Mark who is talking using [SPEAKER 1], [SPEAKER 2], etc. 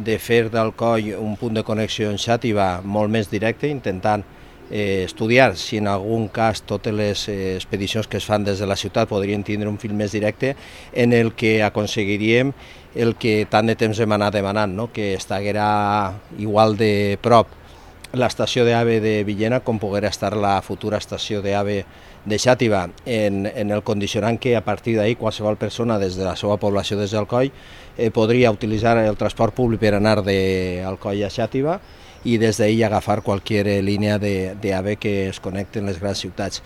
[SPEAKER 1] de fer d'Alcoi un punt de connexió en Xàtiva molt més directe, intentant estudiar si en algun cas totes les expedicions que es fan des de la ciutat podrien tindre un fil més directe en el que aconseguiríem el que tant de temps hem anat demanant, no? Que estiguera igual de prop l'estació d'AVE de Villena com poguera estar la futura estació d'AVE de Xàtiva, en el condicionant que a partir d'ahir qualsevol persona des de la seva població des d'Alcoi podria utilitzar el transport públic per anar d'Alcoi a Xàtiva i des d'ahir agafar qualsevol línia d'AVE que es connecti en les grans ciutats.